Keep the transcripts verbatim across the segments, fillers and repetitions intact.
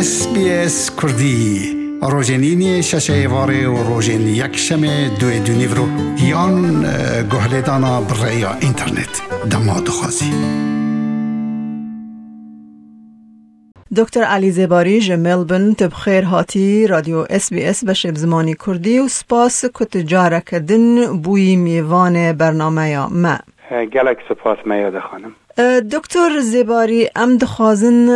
S B S Kurdî, rojên îniyê şeşê êvarê û rojên yekşemê duê dûnîvro yan, e, guhlêdana bi rêya înternet. Dema dixwazî. Doktor Elî Zêbarî ji Melbourne, tu bi xêr hatî Radyo S B S beşê bi zimanî Kurdî û spas ku tu careke din bûyî mêvanê bernameya me. Gelek spas Meyade xanim. E, Doktor Zêbarî, em dixwazin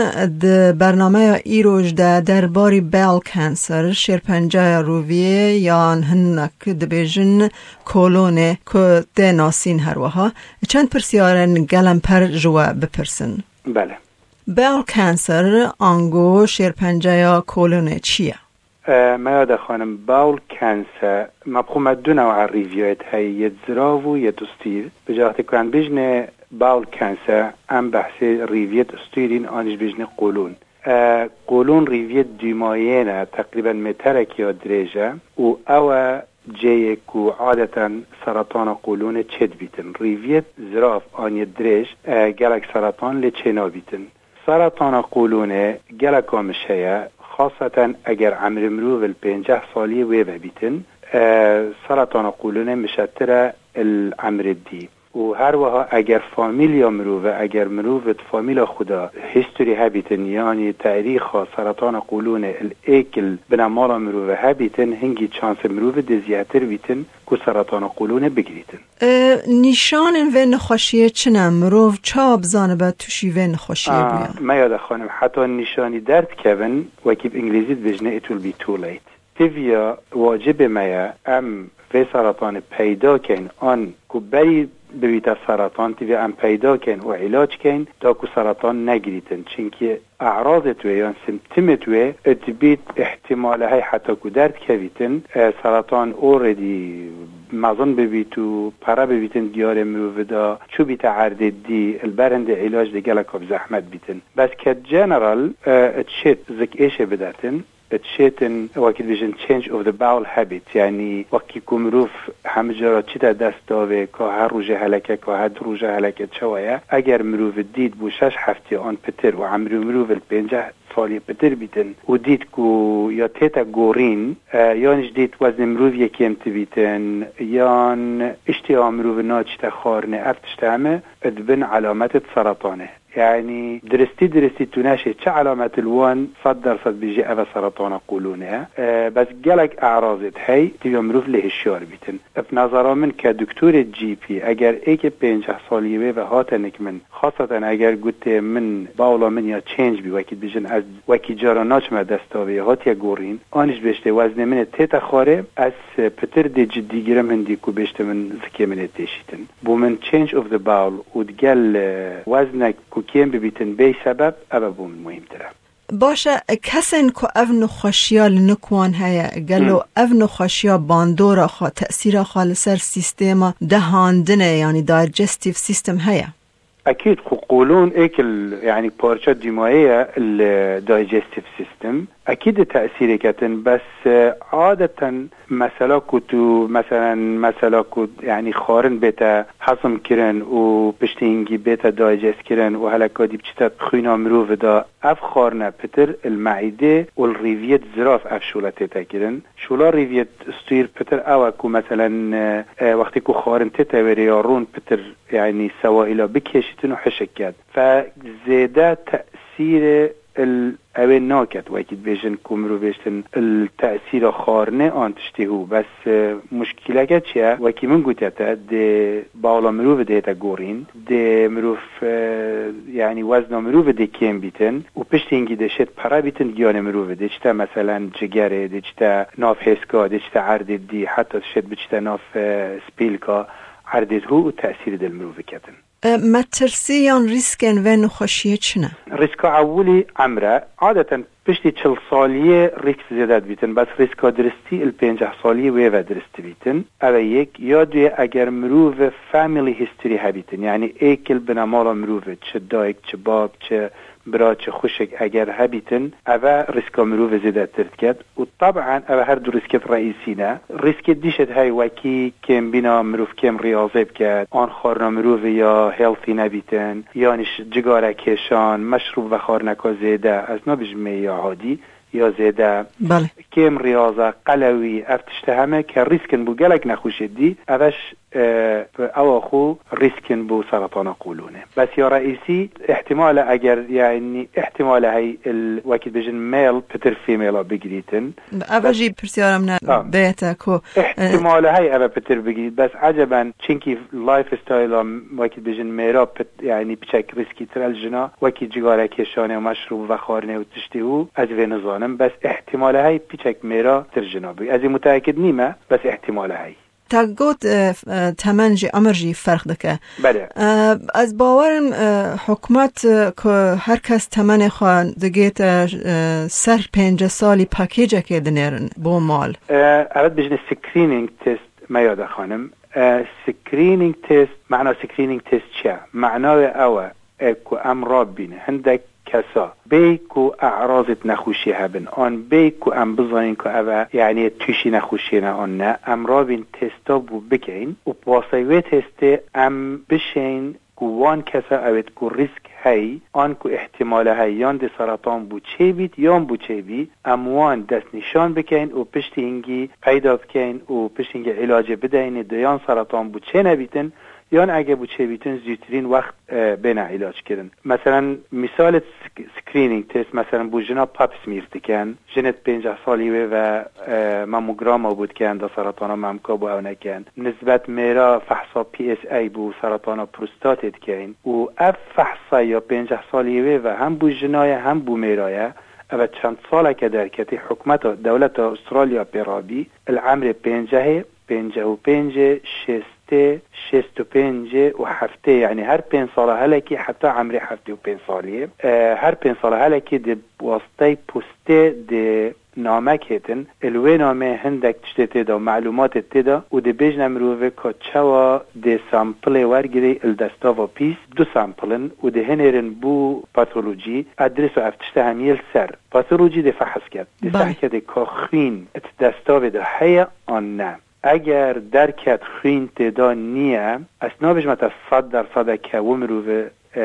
di bernameya îroj de derbarî bowel cancer, şêrpencaya rûviyê yan hinek dibêjin kolonê ku tê nasîn her wiha, çend pirsyarên gelemper ji we bipirsin. Bele. Bowel cancer, ango şêrpenceya kolonê çi ye? E, Meyade xanim, bowel cancer, me bi xwe me du new'a rîviyet heye, yê zirav û yê stûr. Bi caxtê ku em bêjinê bowel cancer, em behsê rîviyê stûrîn, an jî bêjinê qolûn. E, qolûn rîviyê dûmayê ne, teqrîben meterekê ya dirêj e û ew e cêyê ku adeten seretana qolûnê çêdibîtin. Rîviyê zirav an yê dirêj, e, gelek seretan lê çênabîtin. Seretana qolûnê geleka miş heye, xaseten eger emrê mirov li pênceh saliyê wê vebîtin, e, seretana qolûnê mişetir e li emrê dî. Û her wiha eger famîlya mirov e, eger mirov di famîla xwe de history hebîtin, yanî tarîxa seretana qolûnê li êk li binemala mirov e hebîtin, hingî çansê mirov dê zêdetir bîtin ku seretana qolûnê bigirîtin. E, nîşanên vê nexweşiyê çi ne? Mirov çawa bizanibe tûşî vê nexweşiyê bûye? Meyade xanim, heta nîşanî derdikevin, wekî bi îngilîzî dibêjine, it will be too late. Tiviya wacibê me ye, em vê seretanê peyda kein, an ku berî bibîte seretan, tiviya em peyda kein û îlac kein, da ku seretan negirîtin. Çimkî e'razê tu yan simptomê tu dibît, îhtîmale hey heta ku derdikevîtin, e, seretan already mezin bibît û pere bibîtin diyarê mirovî de, çûbîte erdê dî, li ber hindê îlac dê geleka bi zehmet bîtin. Bes ke general, e, it şêt zik êşê bidetin, it şêtin, wekî dibêjin change of the bowel habit, yanî wekî ku mirov hemî cara çîte dest davê, ka her rojê heleke, ka her du roja heleke çawa ye, eger mirov dît bû şeş heftê an pitir û emrê mirov li pênceh saliyê pitir bîtin û dît ku ya tête gorîn, e, yan jî dît weznê mirov yê kêmtir bîtin, yan îştîha mirov naçîte xwarinê, ev tişt heme dibin elametê seretanê. Yanî diristî diristî tu neşê çi elamet li wan sed dersed bêjî ev e seretana qolûnê ye. E, bes gelek e'razê hey, tiviya mirov lê hişyar bîtin. Bi nezera min ke doktorê G P, eger êkê pênceh saliyê wê ve hate nik min, xaseten eger gotê min bawla min ya change bî, wekî dibêjin ez wekî cara naçime dest davê, hatiye gorîn, an jî bêjtê weznê min ê tête xwarê, ez pitir dê cidî girim hindî ku bêjtê min zikê min ê têşîtin. Bo min change of the bowel û digel, e, weznek ku kêm bibîtin bêy sebeb, ev e bo min muhîmtir e. Baş e, kesên ku ev nexweşiya li nik wan heye, gelo Hmm. ev nexweşiya bandora xwe, tesîra xwe li ser sîstema dehandinê, yanî digestive system heye? Ekîd, xwe qolûn êk il, yanî parça dîmayê ye li digestive system. Ekîd di tesîrê ketin, bes, e, adeten mesela ku tu, meselen, mesela ku, yanî xwarin bête hezm kirin û piştî hingî bête digest kirin û heleka dî biçite xwîna mirovî de, ev xwarine pitir li meîdê û li rîviyê zirav ev şûle tête kirin. Şûla rîviyê stûr pitir ew e ku, meselen, e, e, wextê ku xwarin tête wêrê ya rûn pitir, yanî sewahîla bikêşîtin û hişk ket. Fe zêde tesîrê il ewê naket, wekî dibêjin ku mirov bêjtin il tesîra xwarinê an tiştê hû. Bes, e, muşkîleke çi ye? Wekî min gotiye te, dê bawla mirovî dihête gorîn, dê mirov, e, yanî wezna mirovî dê kêm bîtin û piştî hingî dê şêt pere bîtin giyanê mirovî. Dê çite, meselen, cigerê, dê çite nav hêska, dê çite erdê dî, heta şêt biçite nav, e, spîlka erdê hû û tesîrî dê li mirovî ketin. E, metirsî yan rîskên vê nexweşiyê çi ne? Rîska ewilî emr e. Adeten piştî çil saliyê rîsk zêde dibîtin, bes rîska diristî li pênceh saliyê wê ve dirist dibîtin. Ev e yek. Ya duyê, eger mirov family history hebîtin, yanî êk il binemala mirovî, çi dayik, çi bab, çi biraçi, xwişik eger hebîtin, eve rîska mirovê zêdetir diket û teb'en eve her du rîskêt reîsî ne. Rîskêt dîşêt hey wekî kêmbîna mirov kêm riyazê biket, an xwarina mirovê ya healthy nebîtin, yanî ji cigare kêşan, meşrûb vexwarineka zêde, ez nabêjim mêya adî, ya zêde, Belê. Kêm riyaza, qelewî, ev tişte heme ke rîsk in bo gelek nexweşê dî, ev eş, e, bi ewa xwe rîsk in bo seretana qolûnê. Bes ya reîsî, îhtimal e eger, yanî, îhtimal e hey il, wekî dibêjin, mêl pitir femêla bigirîtin. Ev Bes jî pirsyara min e, Ha. bêyete ku, e, Îhtimal e hey eve pitir bigirît. Bes eceben, çinkî lifestyle-a, wekî dibêjin, mêra pit-, yanî piçek rîskîtir el jina, wekî cigare kêşanê û meşrûb vexwarinê û tiştê û ez vê nizanim. Bes îhtimal e hey piçek mêra tir jina bî. Ez ê muteekid nîme, bes îhtimal e hey. Te got, e, f-, e, temen jî, emir jî ferq dike. Belê. E, ez bawerim, e, hikûmet, e, ku her kes temenê xwe digête, e, ser pêncî salî pakêcekê dinêrin bo mal. E, evet, bijne screening test me ya de xanim. E, screening test, mena screening test çi ye? Mena wê ew e, e, ku em rabîne hindek kesa bê ku e'razêt nexweşiyê hebin, an bê ku em bizanîn ku ev e, yanî tûşî nexweşiyê ne an ne, em rabîn testa bû bikeyn û bi wasiteyê wê testê em bişeyn ku wan kesa ewêt ku rîsk hey, an ku îhtimale hey yan dê seratan bû çêbît yan bû çêbî, em wan destnîşan bikeyn û piştî hingî peyda bikeyn û piştî hingî îlacê bideynê dê yan seratan bû çênebîtin, yan ege bû çêbîtin zûtirîn wext, e, bêne îlac kirin. Meselen, mîsalê sk-, screening test, meselen, bû jina pap smear dikin. Jinêt pênceh salî wê ve, e, mamograma bû dikin, da seratana memka bû ew nekin. Nisbet mêra fehsa P S A bû seratana prostatê dikin. Û ev fehsa ya pênceh salî wê ve hem bû jina ye, hem bû mêra ye. Eve çend saleke derketî hikûmeta, dewleta Australya pê rabî, il emrê pêncehê, pênceh û pêncê, şêstê, şêst û pêncê û heftê, yanî her pênc sala helekî heta emrê heftê û pênc saliyê. E, her pênc sala helekî di wasitey postê di namek hêtin, il wê namê hindek tiştê tê de, melûmatê tê de û dê bêjne mirovê ka çawa dê sampilê wergirê il destava pîs, du sampil in û dê hinêrin bû patolojî, edrês û ev tişte hemiyê li ser. Patolojî dê fehs ket. Dê Belê. fehs ke dê ka xwîn it destavê de heye an ne. Eger derket xwîn tê de niye, ez nabêjime te sed dersedeke wi mirovê, e,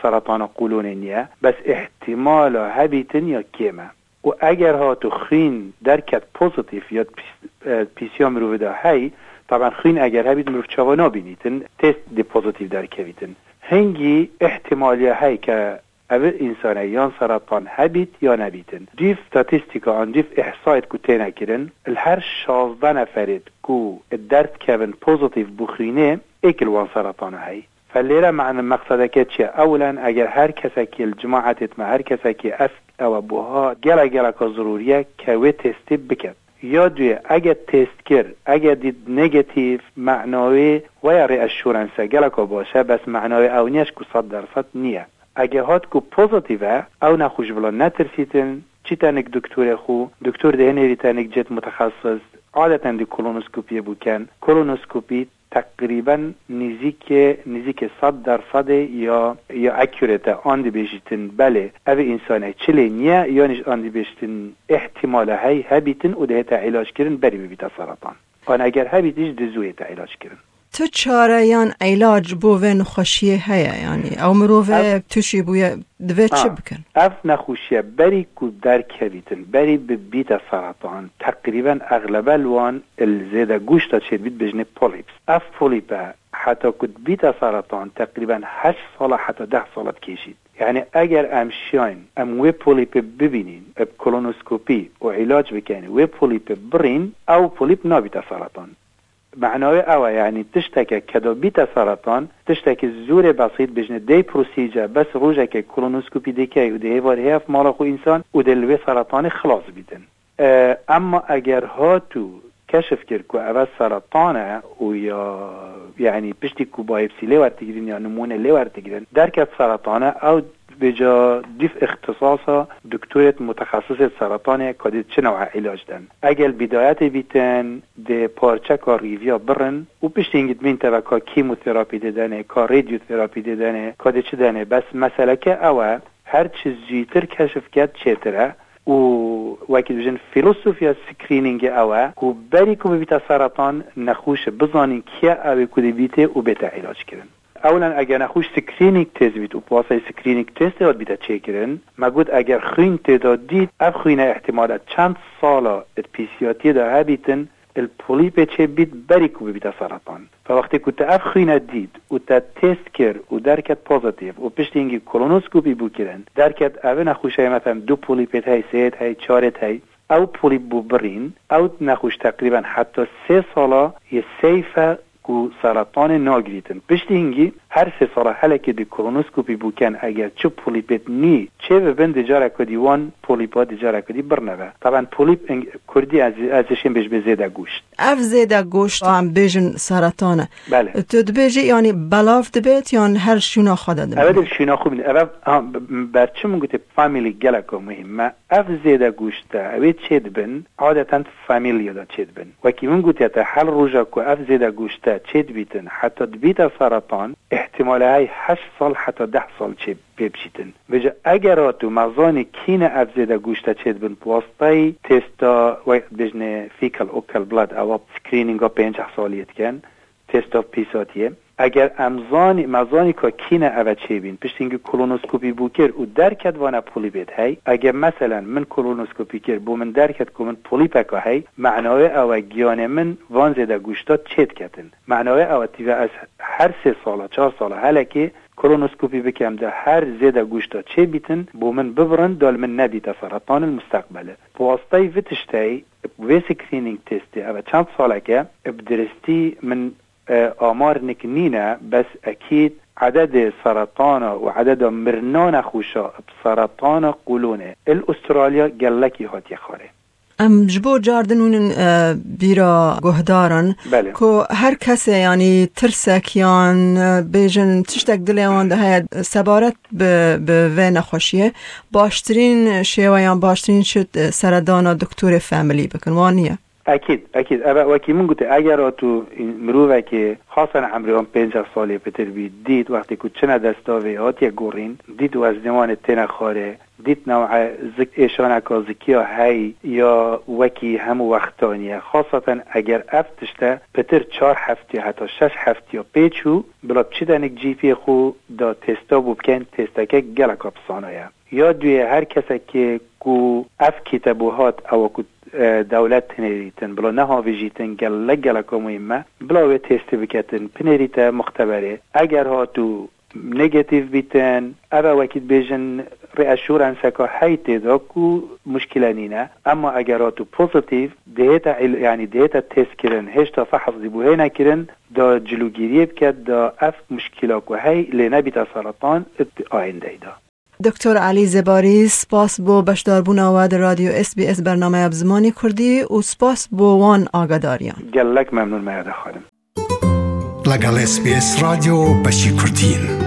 seretana qûlonê niye, bes îhtimala hebîtin ya kêm e. Û eger hatu xwîn derket pozîtîf ya pîs-, e, pîsiya mirovê de hey, taban xwîn eger hebît mirov çawa nabînîtin, test dê pozîtîf derkevîtin. Hingî îhtimaliya hey ke ev însanê yan seratan hebît ya nebîtin. Dîv statîstîka an dîv îhsayêt ku têne kirin, li her şazdeh neferêt ku derdkevin pozîtîf bû xwînê, êk li wan seratana hey. Fe lêre mane meqsedeke çi ye? Ewlen, eger her kesekî li cimaetêt me, her kesekî ev ew e buha, gelek geleka zirûrî ye ke wê testê biket. Ya duyê, ege test kir, ege dît negatîf, mena wê weya reassurance e, geleka baş e, bes mena wê ew niye ku sed derset niye. Ege hat ku pozîtîf e, ew nexweş bila netirsîtin, çîte nik doktorê xwe, doktor dê hinêrî te nik cêt mutexesis, adeten dê kolonoskopiyê bûken. Kolonoskopî teqrîben nîzîkê, nîzîkê sed dersedê ya, ya accurate e, an dibêjîtin belê, ev însanê çilê niye, yanî jî an dibêjtin îhtimale hey hebîtin û dihête îlac kirin berî bibîte seratan. An eger hebît jî dizû hête îlac kirin. Tu çare yan îlac bo vê nexweşiyê heye, yanî ew mirove Ev tuşî bûye, divê çi Ha, bikin? Ev nexweşiye berî ku derkevîtin, berî bibîte seratan, teqrîben exlebe li wan il zêde goşta çêdibît bêjinê polyps. Ev polype heta ku dibîte seratan, teqrîben heşt sala heta deh sala dikêşît. Yanî eger em şiyayn, em wê polypê bibînîn, bi kolonoskopî û îlac bikeyn, wê polypê birîn, ew polyp nabîte seratan. Mena wê ew e, yanî tişteke ke da bîte seratan, tiştekî zûrê besît, bêjinê day procedure, bes rojekê kolonoskopî dikey û dê hêvar hêv mala xwe însan û dê li wê seratanê xilas bîtin. E, emma eger hatû keşif kir ku eve seratan e û ya, yanî piştî ku bayopsî lê wertigrin ya nimûne lê wertigrin, derket seratan e, ew Vêca dîv îxtisasa doktorêt mutexesisêt seretanê ka dê çi new'a îlac den. Egel bîdayetê bîtin, dê parçeka rîviya birin û piştî hingî dibîn teveka kîmoterapî dê denê, ka radiotherapî dê denê, ka dê çi denê. Bes meseleke ew e, Her çi zûtir keşif ket çêtir e û wekî dibêjin filosofiya screeningê ew e ku berî ku bibîte seretan nexweş bizanîn kî ye ew ê ku dibîtê û bête îlac kirin. Ewlen eger nexweş screening test bît û piyasayê screening testê hat bîte çêkirin, me got eger xwîn tê de dît, ev xwîne îhtimal e çend sala di pîsiyatiyê de hebîtin, li polîpê çêbît berî ku bibîte seretan. Fe wextê ku te ev xwîne dît û te test kir û derket pozitif û piştî hingî kolonoskopî bû kirin, derket ev nexweşeyê, meselen du polîpêt hey, sêyêt hey, çarêt hey, ew polîp bû birîn, ew nexweş teqrîben heta sê sala yê safe e ku seretanê nagirîtin. Piştî hingî her sê sala helekê dê kolonoskopî bû ken, eger çi polîpêt nû çê bibin, dê careke dî wan polîpa dê careke dî birneve. Taban polîp ing-, kurdî ez, ez ê şên bêj bê zêde goşt. Ev zêde goşt, em bêjin seretan e. Belê. Tu dibêjî, yanî belav dibêt yan her şûna xwe de dibêt? Ev ê di şûna xwe bîne. Ev, ev, ha, b-, b-, ber çi min gotê family geleka muhîm e. Ev zêde goşte, ew ê çê dibin, adeten familya de çê dibin. Wekî min gotiye te, her roja ku ev zêde goşte çê dibîtin, heta dibîte seretan, îhtimale hey heşt sal heta deh sal çê pê biçîtin. Vêca eger hatu me zanî kî ne ev zêde goşte çê dibin, bi wastayî testa, wek dibêjinê fecal occult blood, ewa screeninga pênceh saliyê dikin, testa pîsatiyê. Eger em zanî, me zanî ka kî ne eve çêbîn, piştî hingî kolonoskopî bû kir û derket vane polîpêt hey. Eger meselen min kolonoskopî kir, bo min derket ku min polîpeka hey, mena wê ew e giyanê min van zêde goşta çê diketin. Mena wê ew e tîve ez her sê sala, çar sala helekê kolonoskopî bikem de her zêde goşta çê bîtin, bo min bibirin, da li min nebîte seretan li musteqbelê. Bi wastayî vê tişteyî, vê screening testê, ev e çend saleke, bi diristî min e, amar nik nîne, bes ekîd ededê seretana û ededa mirina nexweşa bi seretana qûlonê il Australya gelekî hatiye xwarê. Em ji bo car din hûnin, e, bîra guhdaran Belê. Ku her kesê, yanî tirsek yan, e, bêjin tiştek dilê wan de heye sebaret bi, bi vê nexweşiyê, baştirîn şêwe yan baştirîn şit, e, seredana doktorê familî bikin. Wan niye? Ekîd, ekîd. Eve wekî min gotê, eger tu mirovekê xasen emrê wan pênceh salê pitir bî, dît wextê ku çine desta vê hatiye gorîn, dît weznêwanê têne xwarê, dît new'e zik êşaneka zikiya hey ya wekî hemû wextaniye. Xaseten eger ev tişte pitir çar heftiya heta şeş heftiya pê çû, bila biçîte nik cîpiyê xwe da testa bû bikin, testeke geleka pisana ye. Ya duyê her kesekê ku ev kîte bû hat, ewa ku, e, dewlet tinêrîtin, bila nehavêjîtin, gelek geleka muhîm e, bila wê testê biketin, pinêrîte muxteberê. Eger hat û negatif bîtin, ev e wekî dibêjin reassurance-eka hey tê de ku muşkile nîne. Emma eger hat û pozitif, dihête il-, yanî dihête testkirin, hêşta fehs dî bû hê nekirin, da cilûgiriyê biket, da ev muşkila ku hey lê nebîte seretan, it ayîndeyda. Doktor Elî Zebarî, spas bo beşdarbûna we di Radyo S B S bernameya bi zimanê Kurdî û spas bo wan agadariyan. Gelek memnûn me ya de xanim. لەگەڵ S B S رادیۆ بەشی کوردین.